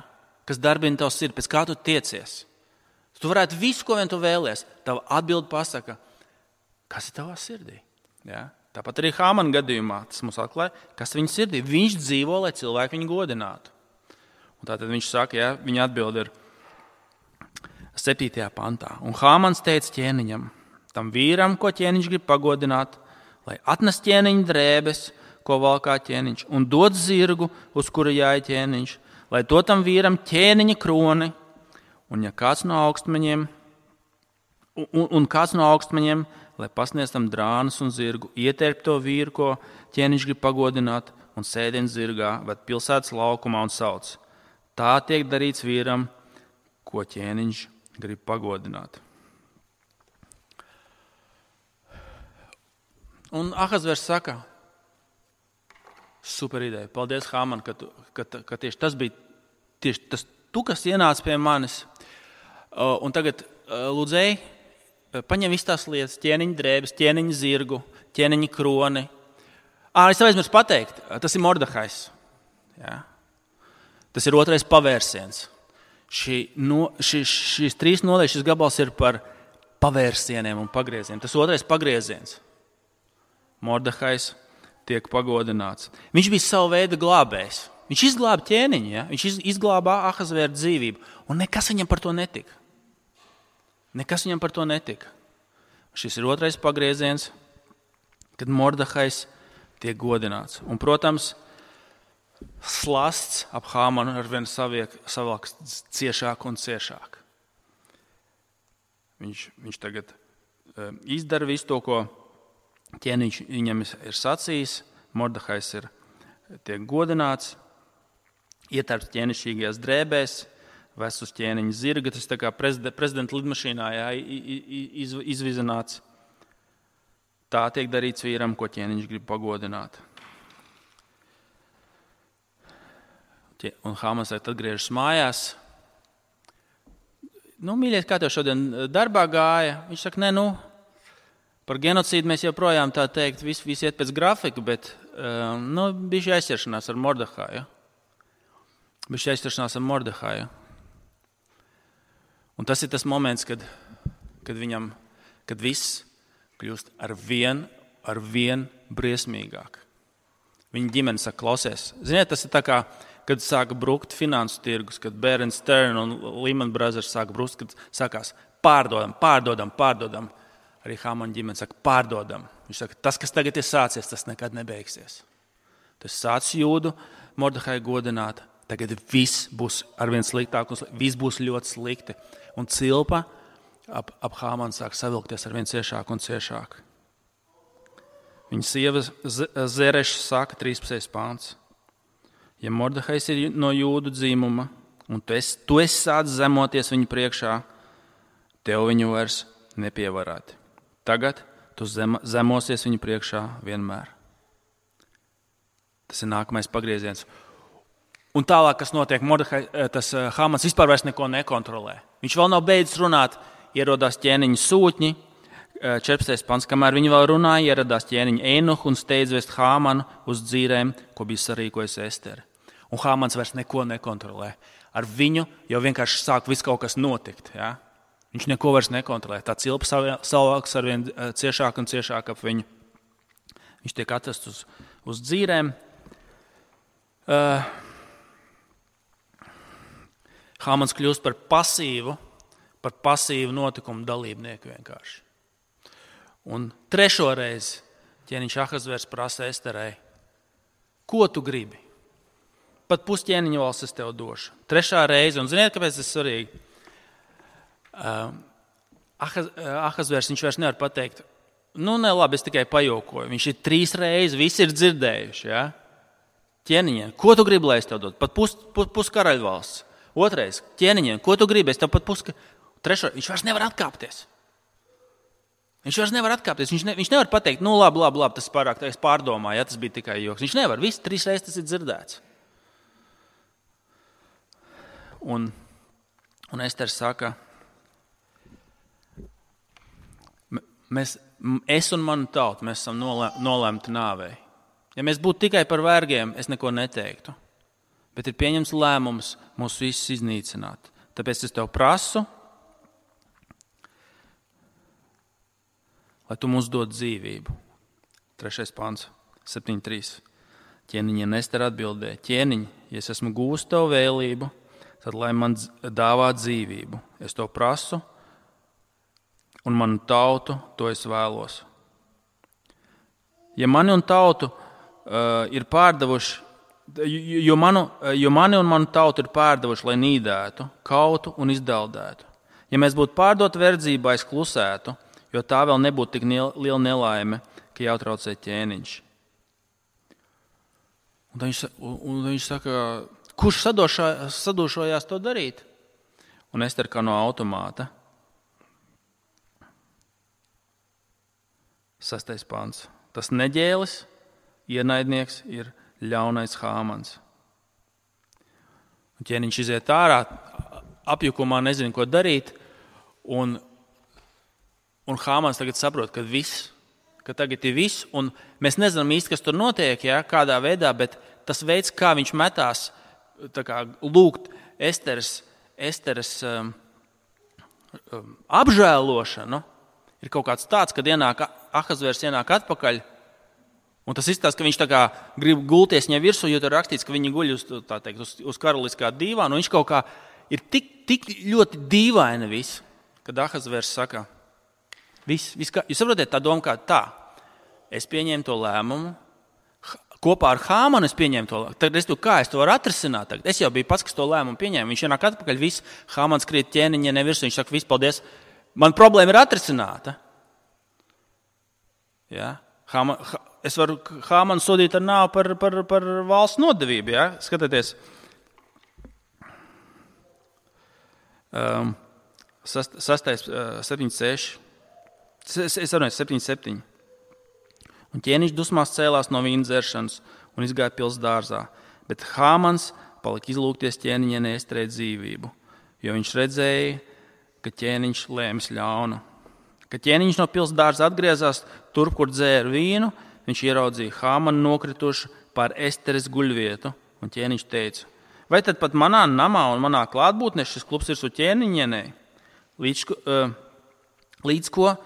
Kas darbina tev sirdi, pēc kā tu tiecies. Tu varētu visu, ko vien tu vēlies. Tava atbilde pasaka, kas ir tavā sirdī. Ja? Tāpat arī Hāmana gadījumā tas mums atklāja, kas viņa sirdī. Viņš dzīvo, lai cilvēki viņu godinātu. Un tātad viņš saka, ja, viņa atbild ir, septītajā pantā. Un Hāmans teica ķēniņam, tam vīram, ko ķēniņš grib pagodināt, lai atnes ķēniņa drēbes, ko valkā ķēniņš, un dod zirgu, uz kura jāja ķēniņš, lai to tam vīram ķēniņa kroni, un ja kāds no augstmeņiem, un, un kāds no augstmeņiem, lai pasniedz tam drānas un zirgu, ietērp to vīru, ko ķēniņš grib pagodināt, un sēdien zirgā, bet pilsētas laukumā un sauc. Tā tiek darīts vīram, ko ķēniņš grib pagodināt. Un Ahasvers saka, super ideja, paldies, Hāman, ka, tu, ka, ka tieši tas bija tieši tas, tu, kas ienāca pie manis. Un tagad lūdzēji, paņem visu tās lietas, ķēniņa drēbes, ķēniņa zirgu, ķēniņa kroni. Ā, es tev aizmirsu pateikt, tas ir Mordehais. Jā. Tas ir otrais pavērsiens. Šī, no, šī, šīs trīs nodaļas, šis gabals ir par pavērsieniem un pagriezieniem. Tas otrais pagrieziens. Mordehais tiek pagodināts. Viņš bija savu veidu glābējs. Viņš izglāba ķēniņu, ja? Viņš izglāba Ahasvēra dzīvību. Un nekas viņam par to netika. Nekas viņam par to netika. Šis ir otrais pagrieziens, kad Mordehais tiek godināts. Un, protams, slasts ap Hāmanu arvien savāk ciešāk un ciešāk. Viņš, viņš tagad uh, izdara visu to, ko ķēniņš viņam ir sacījis. Mordehais ir tiek godināts, ietērpts ķēnišķīgajās drēbēs, ves uz ķēniņa zirga, tas tā kā prezidenta, prezidenta lidmašīnā jā, iz, izvizināts. Tā tiek darīts vīram, ko ķēniņš grib pagodināt. Un Hāmans atgriežas mājās. Nu, mīļiet, kā tev šodien darbā gāja? Viņš saka, ne, nu, par genocīdu mēs joprojām tā teikt, visi, visi iet pēc grafika, bet uh, nu, bija aizķeršanās ar Mordehaju. Bija aizķeršanās ar Mordehaju. Un tas ir tas moments, kad, kad viņam, kad viss kļūst ar vien, ar vien briesmīgāk. Viņa ģimene saka, klausies. Ziniet, tas ir tā kā, kad sāka brukt finansu tirgus, kad Bear and Stearns un Lehman Brothers sāka brukt, kad sākās pārdodam, pārdodam, pārdodam. Arī Hāmana ģimene saka, pārdodam. Viņš saka, tas, kas tagad ir sācies, tas nekad nebeigsies. Tas sācis jūdu, Mordehai godināt. Tagad viss būs arvien sliktāk, un viss būs ļoti slikti. Un cilpa ap, ap Hāmanu sāk savilkties arvien ciešāk un ciešāk. Viņa sieva Zereša saka, trīspadsmitais pāns. Ja Mordehais ir no jūdu dzīmuma, un tu esi, tu esi sācis zemoties viņu priekšā, tev viņu vairs nepievarēt. Tagad tu zem, zemosies viņu priekšā vienmēr. Tas ir nākamais pagrieziens. Un tālāk, kas notiek, Mordehai, tas Hāmans vispār vairs neko nekontrolē. Viņš vēl nav beidzis runāt, ierodās ķēniņa sūtņi, četrpadsmitais pants, kamēr viņi vēl runāja, ieradās ķēniņa Einuhu un steidz vest Hāmanu uz dzīrēm, ko bija sarīkojusi Estere. Un Hāmans vairs neko nekontrolē. Ar viņu jau vienkārši sāk viss kaut kas notikt, ja? Viņš neko vairs nekontrolē. Tā cilpa savāks arvien ciešāk un ciešāk ap viņu. Viņš tiek atvests uz, uz dzīrēm. Uh, Hāmans kļūst par pasīvu, par pasīvu notikumu dalībnieku vienkārši. Un trešo reizi ķēniņš Ahasvērs prasa Esterei, ko tu gribi? Pat pusķēniņa valsts es tev došu. Trešā reize, un ziniet, kāpēc tas ir svarīgi? Uh, Ahasvērs, viņš vairs nevar pateikt, nu ne labi, es tikai pajokoju. Viņš ir trīs reizes, visi ir dzirdējuši, ja? Ķēniņiem, ko tu gribi, lai es tev dotu? Pat pus, pus, pus karaļvalsts. Otrais, ķēniņiem, ko tu gribi, es tev pat pus... Trešo, viņš vairs nevar atkāpties. Viņš vairs nevar atkāpties. Viņš, ne, viņš nevar pateikt, nu labi, labi, labi, tas pārāk, es pārdomāju, ja tas bija tikai joks. Viņš nevar, visi trīs reizes tas ir dzirdēts. Un, un Estere saka, mēs, es un manu tautu, mēs esam nolēmti nāvei. Ja mēs būtu tikai par vergiem, es neko neteiktu. Bet ir pieņems lēmums mūs visus iznīcināt. Tāpēc es tev prasu, lai tu mums dod dzīvību. Trešais pants, septiņi trīs. Ķēniņa Estere atbildēja, ķēniņ, ja es esmu gūst tev vēlību, tad lai man dāvā dzīvību. Es to prasu, un manu tautu to es vēlos. Ja mani un tautu uh, ir pārdevuši, jo, manu, jo mani un manu tautu ir pārdevuši, lai nīdētu, kautu un izdaldētu. Ja mēs būtu pārdoti verdzībā, es klusētu, jo tā vēl nebūtu tik liela nelaime, ka jāutraucē ķēniņš. Un viņš, un viņš saka, kurš sadošā, sadošojās to darīt? Un Ester kā no automāta. Sastais pants. Tas neģēlis, ienaidnieks ir ļaunais Hāmans. Un ķēniņš iziet ārā, apjukumā nezina, ko darīt, un, un Hāmans tagad saprot, ka viss, ka tagad ir viss, un mēs nezinām īsti, kas tur notiek, ja, kādā veidā, bet tas veids, kā viņš metās, tā kā lūgt Esteres, Esteres um, um, apžēlošanu, ir kaut kāds tāds, kad ienāk Ahasvērs ienāk atpakaļ, un tas izstāsta, ka viņš tā kā grib gulties viņai virsū, jo tur rakstīts, ka viņi guļ uz, tā teikt, uz, uz karaliskā dīvāna, un viņš kaut kā ir tik, tik ļoti dīvaina viss, kad Ahasvērs saka, viss, viss kā, jūs saprotiet, tā doma kā tā, es pieņēmu to lēmumu, kopā ar Hāmanu es pieņēmu to lēmumu, tagad es to, kā es to varu atrisināt, tagad es jau biju pats, kas to lēmumu pieņēmu, viņš ienāk atpakaļ, viss, Hāmans krīt ķēniņa nevirs, viņš saka, viss, paldies, man problēma ir atrisināta. Ja? Hāma, es varu Hāmanu sodīt ar nāvu par, par, par valsts nodevību, ja? Skatieties. Um, sast, sastais, uh, septiņi seši. Es, es runāju, septiņi septiņi. Un ķēniņš dusmās cēlās no vīna dzeršanas un izgāja pils dārzā, bet Hāmans palika izlūgties ķēniņa Esterei dzīvību, jo viņš redzēja, ka ķēniņš lēmis ļaunu. Kad ķēniņš no pils dārza atgriezās turp, kur dzēra vīnu, viņš ieraudzīja Hāmanu nokritušu pār Esteres guļvietu, un ķēniņš teica, vai tad pat manā namā un manā klātbūtnē šis klubs ir su ķēniņienei? Līdz, uh, līdz ko uh,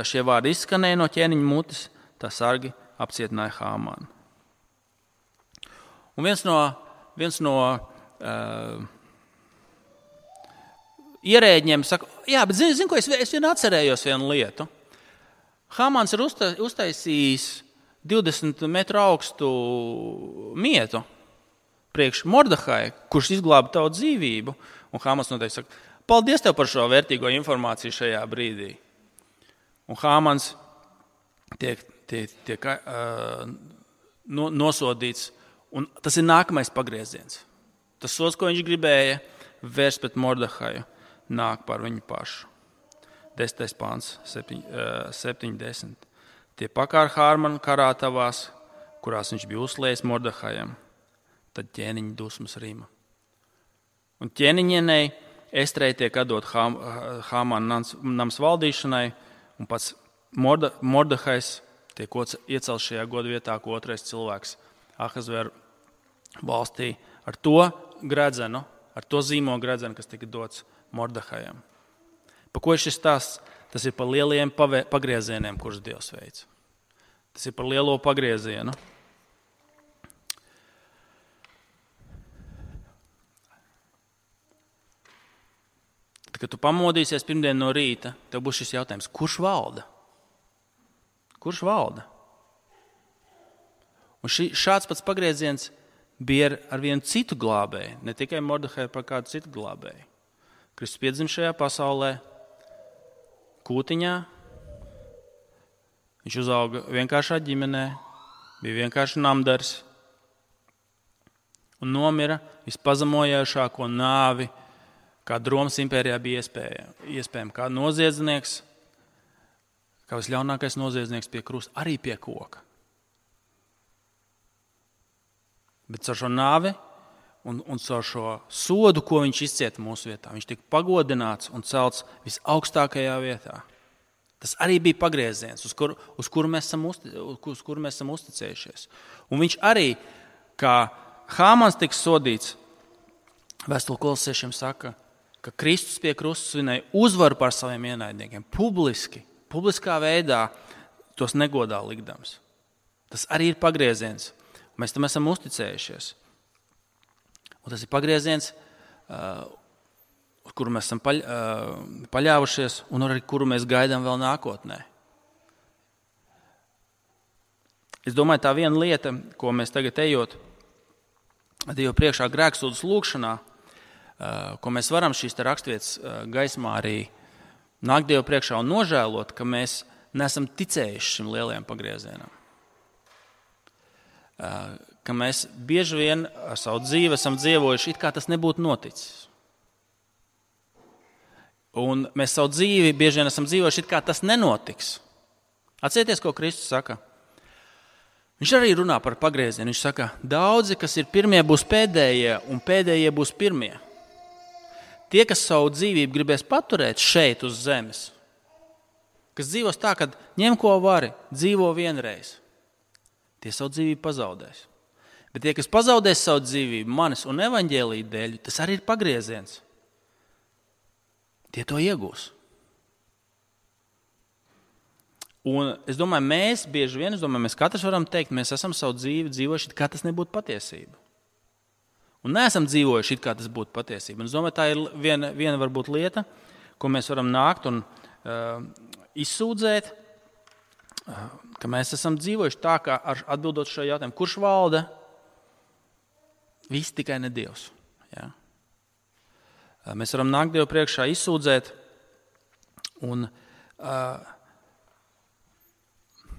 šie vārdi izskanēja no ķēniņa mutes, tā sargi apcietināja Hāmanu. Un viens no, viens no uh, ierēģiem saka, jā, bet zinu, zin, ko es, es vien atcerējos vienu lietu. Hāmans ir uzta, uztaisījis divdesmit metru augstu mietu priekš Mordehai, kurš izglāba tavu dzīvību. Un Hāmans noteikti saka, paldies tev par šo vērtīgo informāciju šajā brīdī. Un Hāmans tiek, tiek, tiek uh, no, nosodīts, un tas ir nākamais pagrieziens. Tas sods, ko viņš gribēja vērst pret Mordehaju, nāk par viņu pašu. Desmitais pāns, septiņi desmit. Tie pakār Hāmanu karātavās, kurās viņš bija uzliejis Mordehajam, tad ķēniņa dusmas rima. Un ķēniņienei Esterei tiek atdot Hāmana nams, nams valdīšanai, un pats Morde, Mordehajs tiek iecelts šajā godvietā, ko otrais cilvēks Ahasvēra valstī ar to gredzenu, ar to zīmogu gredzenu, kas tika dots Mordehajam. Pa ko ir šis stāsts? Tas ir par lieliem pagriezieniem, kurus Dievs veic. Tas ir par lielo pagriezienu. Tad, kad tu pamodīsies pirmdien no rīta, tev būs šis jautājums, kurš valda? Kurš valda? Un šī, šāds pats pagrieziens bija ar vienu citu glābēju, ne tikai Mordehaju, par kādu citu glābēju. Kristus piedzima šajā pasaulē, kūtiņā, viņš uzauga vienkāršā ģimenē, bija vienkārši namdars un nomira vispazemojāšāko nāvi, kāda Romas impērijā bija iespējama, kā noziedznieks, kā visļaunākais noziedznieks pie krusta, arī pie koka. Bet caur šo nāvi un, un caur šo sodu, ko viņš izcieta mūsu vietā, viņš tika pagodināts un celts visaugstākajā vietā. Tas arī bija pagrieziens, uz kuru, uz kuru, mēs, esam uzti, uz kuru mēs esam uzticējušies. Un viņš arī, kā Hāmans tika sodīts, Vēstule Kolosiešiem saka, ka Kristus pie krusta svinēja uzvaru pār saviem ienaidniekiem, publiski, publiskā veidā tos negodā likdams. Tas arī ir pagrieziens. Mēs tam esam uzticējušies. Un tas ir pagrieziens, uz kuru mēs esam paļ, paļāvušies un arī kuru mēs gaidām vēl nākotnē. Es domāju, tā viena lieta, ko mēs tagad ejot Dievu priekšā grēksūdzes lūgšanā, ko mēs varam šīs te raksturvietas gaismā arī nākt Dievu priekšā un nožēlot, ka mēs neesam ticējuši šim lielajam pagriezienam. Ka mēs bieži vien ar savu dzīvi esam dzīvojuši, it kā tas nebūtu noticis. Un mēs savu dzīvi bieži vien esam dzīvojuši, it kā tas nenotiks. Atcerieties, ko Kristus saka. Viņš arī runā par pagriezienu. Viņš saka, daudzi, kas ir pirmie, būs pēdējie, un pēdējie būs pirmie. Tie, kas savu dzīvību gribēs paturēt šeit uz zemes, kas dzīvos tā, ka ņem ko vari, dzīvo vienreiz, tie savu dzīvību pazaudēs. Bet tie, kas pazaudēs savu dzīvību manis un evaņģēlija dēļ, tas arī ir pagrieziens. Tie to iegūs. Un es domāju, mēs bieži vien, es domāju, mēs katrs varam teikt, mēs esam savu dzīvi dzīvojuši, kā tas nebūtu patiesība. Un neesam dzīvojuši, kā tas būtu patiesība. Un es domāju, tā ir viena, viena varbūt lieta, ko mēs varam nākt un uh, izsūdzēt, uh, ka mēs esam dzīvojuši tā, kā ar atbildot šo jautājumu, kurš valda? Viss tikai ne Dievs. Ja? Uh, mēs varam nākt Dievu priekšā izsūdzēt un uh,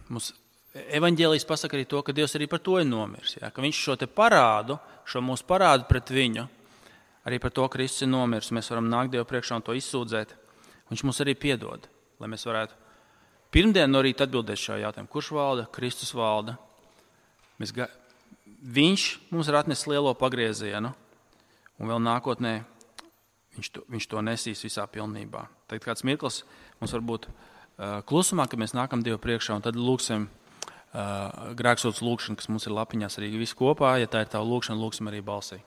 mums evaņģēlijs pasaka arī to, ka Dievs arī par to ir nomirs. Ja? Ka viņš šo te parādu, šo mūsu parādu pret viņu, arī par to Kristus ir nomirs. Mēs varam nākt Dievu priekšā un to izsūdzēt. Viņš mums arī piedod, lai mēs varētu pirmdien no rīta atbildēt šo jautājumu. Kurš valda? Kristus valda. Mēs ga... Viņš mums ir atnesis lielo pagriezienu, un vēl nākotnē viņš to, viņš to nesīs visā pilnībā. Tagad kāds mirklis mums var būt klusumā, kad mēs nākam Dievu priekšā, un tad lūksim uh, grēksūdzes lūgšanu, kas mums ir lapiņās arī visi kopā. Ja tā ir tava lūgšana, lūksim arī balsī.